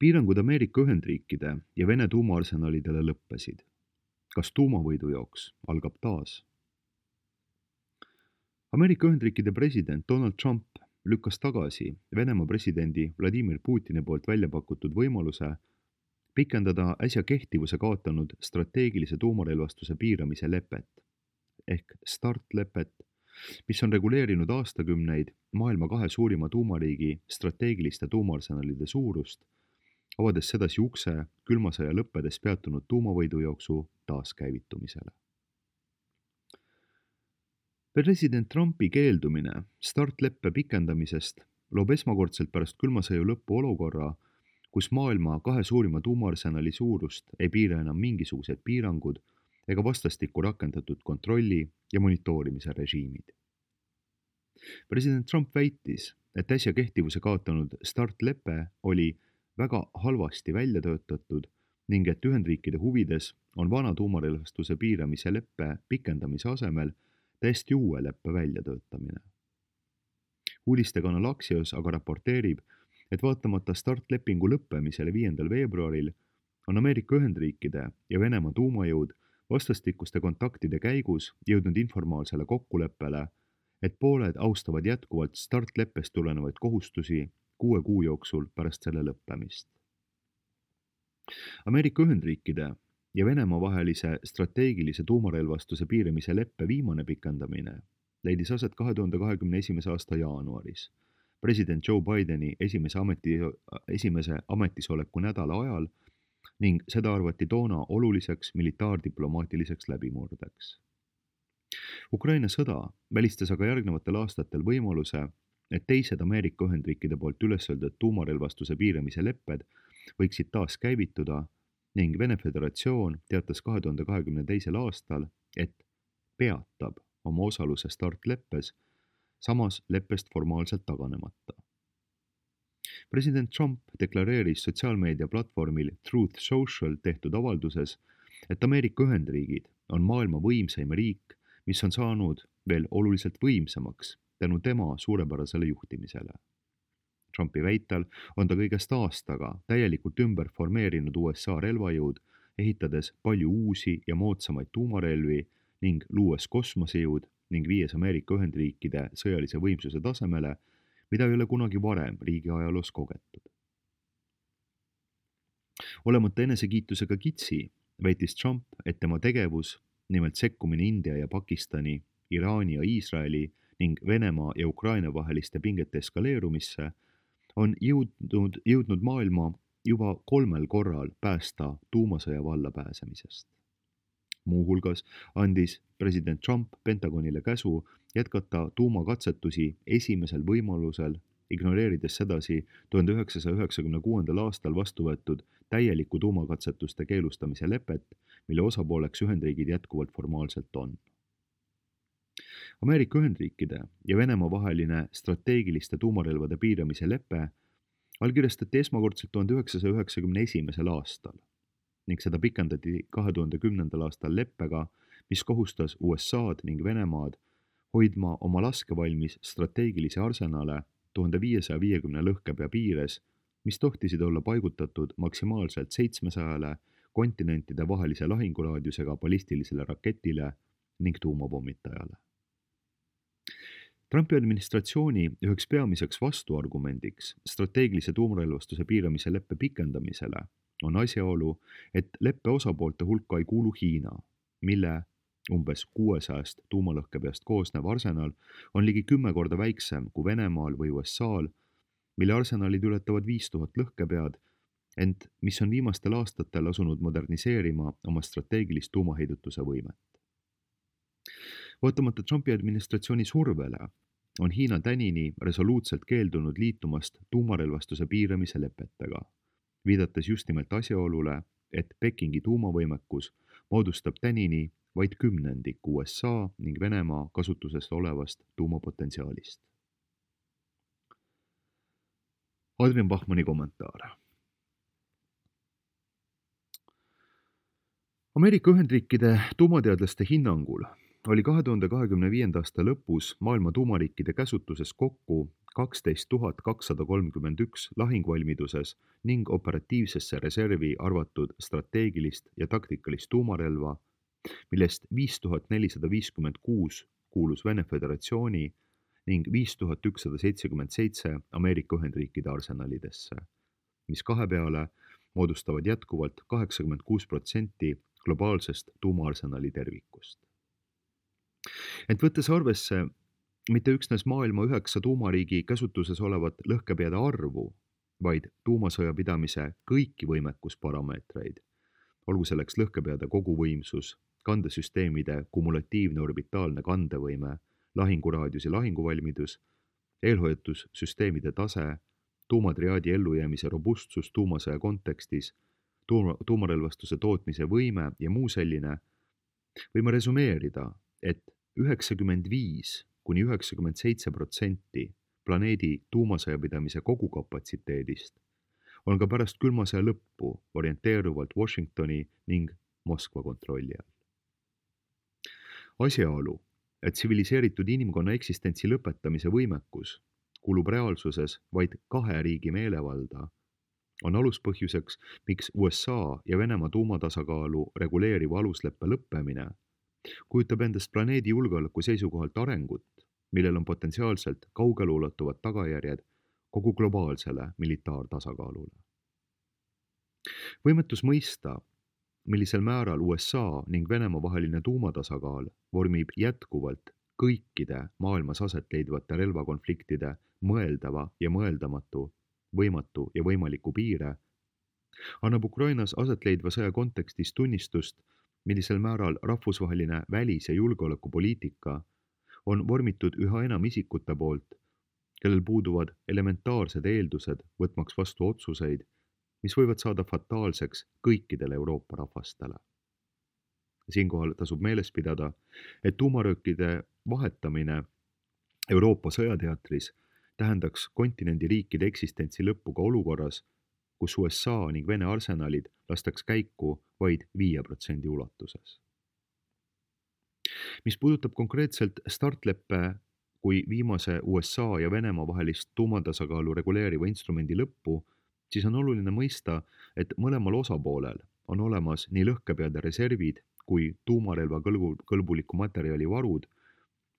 Piirangud Ameerika Ühendriikide ja Vene tuumaarsenalidele lõppesid. Kas tuumavõidujooks algab taas? Ameerika Ühendriikide president Donald Trump lükkas tagasi Venemaa presidendi Vladimir Putini poolt välja pakutud võimaluse pikendada äsja kehtivuse kaotanud strateegilise tuumarelvastuse piiramise lepet ehk START-lepet, mis on reguleerinud aastakümneid maailma kahe suurima tuumariigi strateegiliste tuumaarsenalide suurust, avades sedasi ukse külma sõja lõppedes peatunud tuumavõidujooksu taaskäivitumisele. President Trumpi keeldumine START-leppe pikendamisest loob esmakordselt pärast külma sõja lõppu olukorra, kus maailma kahe suurima tuumaarsenali suurust ei piira enam mingisugused piirangud ega vastastikku rakendatud kontrolli ja monitoorimise režiimid. President Trump väitis, et äsja kehtivuse kaotanud START-lepe oli väga halvasti välja töötatud ning et Ühendriikide huvides on vana tuumarelvastuse piiramise leppe pikendamise asemel täiesti uue leppe väljatöötamine. Uudistekanal Axios aga raporteerib, et vaatamata START-lepingu lõppemisele 5. veebruaril on Ameerika Ühendriikide ja Venemaa tuumajõud vastastikuste kontaktide käigus jõudnud informaalsele kokkuleppele, et pooled austavad jätkuvalt START-leppest tulenevaid kohustusi 6 kuu jooksul pärast selle lõppemist. Ameerika Ühendriikide ja Venemaa vahelise strateegilise tuumarelvastuse piiramise leppe viimane pikendamine leidis aset 2021. aasta jaanuaris, president Joe Bideni esimese ametisoleku nädala ajal ning seda arvati toona oluliseks militaardiplomaatiliseks läbimurdeks. Ukraina sõda välistas aga järgnevatel aastatel võimaluse, et teised Ameerika Ühendriikide poolt üles öeldud tuumarelvastuse piiramise lepped võiksid taas käivituda ning Vene Föderatsioon teatas 2022. aastal, et peatab oma osaluse START-leppes, samas leppest formaalselt taganemata. President Trump deklareeris sotsiaalmeedia platvormil Truth Social tehtud avalduses, et Ameerika Ühendriigid on maailma võimsaim riik, mis on saanud veel oluliselt võimsamaks tänu tema suurepärasele juhtimisele. Trumpi väitel on ta kõigest aastaga täielikult ümber formeerinud USA relvajõud, ehitades palju uusi ja moodsamaid tuumarelvi ning luues kosmosejõud ning viies Ameerika Ühendriikide sõjalise võimsuse tasemele, mida ei ole kunagi varem riigi ajaloos kogetud. Olemata enesekiitusega kitsi, väitis Trump, et tema tegevus, nimelt sekkumine India ja Pakistani, Iraani ja Iisraeli ning Venemaa ja Ukraina vaheliste pingete eskaleerumisse, on jõudnud maailma juba 3 korral päästa tuumasõja vallapääsemisest. Muuhulgas andis president Trump Pentagonile käsu jätkata tuumakatsetusi esimesel võimalusel, ignoreerides sedasi 1996. aastal vastu võetud täieliku tuumakatsetuste keelustamise lepet, mille osapooleks Ühendriigid jätkuvalt formaalselt on. Ameerika Ühendriikide ja Venemaa vaheline strateegiliste tuumarelvade piiramise lepe allkirjastati esmakordselt 1991. aastal ning seda pikendati 2010. aastal leppega, mis kohustas USA'd ning Venemaad hoidma oma laskevalmis strateegilisi arsenale 1550 lõhkepea piires, mis tohtisid olla paigutatud maksimaalselt 700 kontinentide vahelise lahinguraadiusega ballistilisele raketile ning tuumapommitajale. Trumpi administratsiooni üheks peamiseks vastuargumendiks strateegilise tuumarelvastuse piiramise leppe pikendamisele on asjaolu, et leppe osapoolte hulka ei kuulu Hiina, mille umbes 600 tuumalõhkepeast koosnev arsenal on ligi 10 korda väiksem kui Venemaal või USA'l, mille arsenalid ületavad 5000 lõhkepead, ent mis on viimastel aastatel asunud moderniseerima oma strateegilist tuumaheidutuse võimet. Vaatamata Trumpi administratsiooni survele on Hiina tänini resoluutselt keeldunud liitumast tuumarelvastuse piiramise lepetega, viidates just nimelt asjaolule, et Pekingi tuumavõimekus moodustab tänini vaid 10% USA ning Venemaa kasutusest olevast tuumapotentsiaalist. Adrian Bachmanni kommentaar. Ameerika Ühendriikide tuumateadlaste hinnangul oli 2025. aasta lõpus maailma tuumariikide käsutuses kokku 12 231 lahingvalmiduses ning operatiivsesse reservi arvatud strateegilist ja taktikalist tuumarelva, millest 5456 kuulus Vene Föderatsiooni ning 5177 Ameerika Ühendriikide arsenalidesse, mis kahe peale moodustavad jätkuvalt 86% globaalsest tuumaarsenali tervikust. Ent võttes arvesse mitte üksnes maailma 9 tuumariigi käsutuses olevat lõhkepeade arvu, vaid tuumasõja pidamise kõiki võimekusparameetreid, olgu selleks lõhkepeade koguvõimsus, kandesüsteemide kumulatiivne orbitaalne kandevõime, lahinguraadius ja lahinguvalmidus, eelhoiatussüsteemide tase, tuumatriaadi ellujäämise robustsus tuumasõja kontekstis, tuumarelvastuse tootmise võime ja muu selline, võime resumeerida, et 95–97% planeedi tuumasõjapidamise kogukapatsiteedist on ka pärast külma sõja lõppu orienteeruvalt Washingtoni ning Moskva kontrolli all. Asjaolu, et tsiviliseeritud inimkonna eksistentsi lõpetamise võimekus kuulub reaalsuses vaid 2 riigi meelevalda, on aluspõhjuseks, miks USA ja Venemaa tuumatasakaalu reguleeriva alusleppe lõppemine kujutab endast planeedi julgeoleku seisukohalt arengut, millel on potentsiaalselt kaugelulatuvad tagajärjed kogu globaalsele militaartasakaalule. Võimetus mõista, millisel määral USA ning Venemaa vaheline tuumatasakaal vormib jätkuvalt kõikide maailmas aset leidvate relvakonfliktide mõeldava ja mõeldamatu, võimatu ja võimaliku piire, annab Ukrainas aset leidva sõja kontekstis tunnistust, millisel määral rahvusvaheline välis- ja julgeolekupoliitika on vormitud üha enam isikute poolt, kellel puuduvad elementaarsed eeldused võtmaks vastu otsuseid, mis võivad saada fataalseks kõikidele Euroopa rahvastele. Siinkohal tasub meeles pidada, et tuumaröökide vahetamine Euroopa sõjateatris tähendaks kontinendi riikide eksistentsi lõppu ka olukorras, kus USA ning Vene arsenalid lastaks käiku vaid 5% ulatuses. Mis puudutab konkreetselt startleppe kui viimase USA ja Venemaa vahelist tuumatasakaalu reguleeriva instrumendi lõppu, siis on oluline mõista, et mõlemal osapoolel on olemas nii lõhkepeade reservid kui tuumarelva kõlbuliku materjali varud,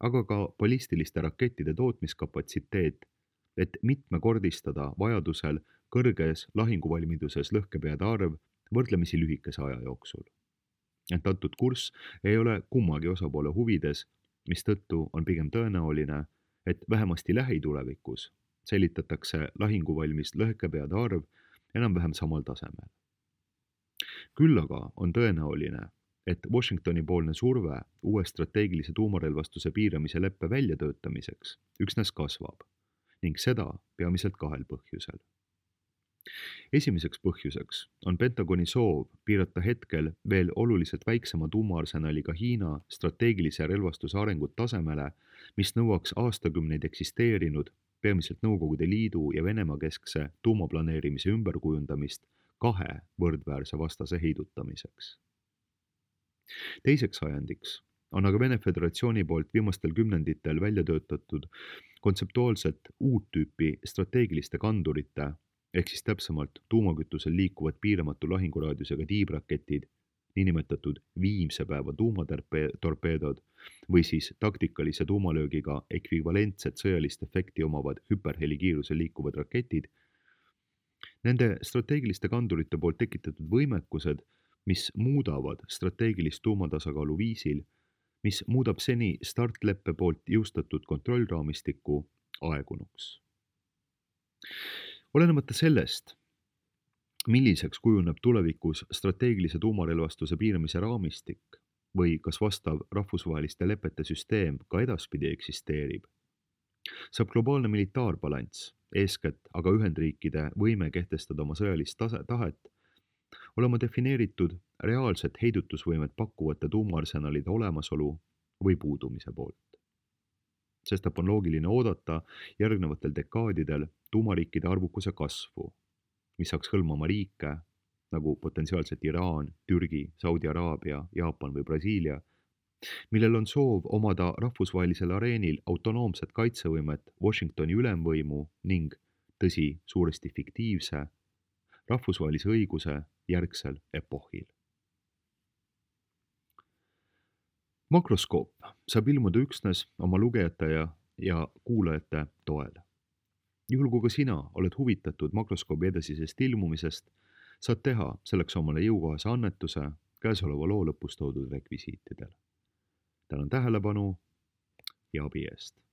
aga ka ballistiliste rakettide tootmiskapatsiteet, et mitmekordistada vajadusel kõrges lahinguvalmiduses lõhkepeade arv võrdlemisi lühikese aja jooksul. Ent antud kurss ei ole kummagi osapoole huvides, mistõttu on pigem tõenäoline, et vähemasti lähitulevikus säilitatakse lahinguvalmis lõhkepeade arv enam-vähem samal tasemel. Küll aga on tõenäoline, et Washingtoni poolne surve uue strateegilise tuumarelvastuse piiramise leppe väljatöötamiseks üksnes kasvab ning seda peamiselt 2 põhjusel. Esimeseks põhjuseks on Pentagoni soov piirata hetkel veel oluliselt väiksema tuumaarsenaliga Hiina strateegilise relvastuse arengut tasemele, mis nõuaks aastakümneid eksisteerinud peamiselt Nõukogude Liidu ja Venemaa keskse tuumaplaneerimise ümberkujundamist 2 võrdväärse vastase heidutamiseks. Teiseks ajendiks on aga Vene Föderatsiooni poolt viimastel kümnenditel välja töötatud kontseptuaalselt uut tüüpi strateegiliste kandurite ehk siis täpsemalt tuumakütusel liikuvad piiramatu lahinguraadiusega tiibraketid, niinimetatud viimse päeva tuumatorpeedod või siis taktikalise tuumalöögiga ekvivalentset sõjalist efekti omavad hüperhelikiirusel liikuvad raketid. Nende strateegiliste kandurite poolt tekitatud võimekused, mis muudavad strateegilist tuumatasakaalu viisil, mis muudab seni startleppe poolt jõustatud kontrollraamistikku aegunuks. Olenemata sellest, milliseks kujuneb tulevikus strateegilise tuumarelvastuse piiramise raamistik või kas vastav rahvusvaheliste lepete süsteem ka edaspidi eksisteerib, saab globaalne militaarbalanss, eeskätt aga Ühendriikide võime kehtestada oma sõjalist tahet, olema defineeritud reaalset heidutusvõimet pakkuvate tuumaarsenalide olemasolu või puudumise poolt. Sestap on loogiline oodata järgnevatel dekaadidel tuumariikide arvukuse kasvu, mis saaks hõlmama riike nagu potentsiaalselt Iraan, Türgi, Saudi Araabia, Jaapan või Brasiilia, millel on soov omada rahvusvahelisel areenil autonoomset kaitsevõimet Washingtoni ülemvõimu ning, tõsi, suuresti fiktiivse, rahvusvahelise õiguse järgsel epohhil. Makroskoop saab ilmuda üksnes oma lugejate ja kuulajate toel. Juhul kui ka sina oled huvitatud makroskoobi edasisest ilmumisest, saad teha selleks omale jõukohase annetuse käesoleva loo lõpus toodud rekvisiitidel. Tänan tähelepanu ja abi eest!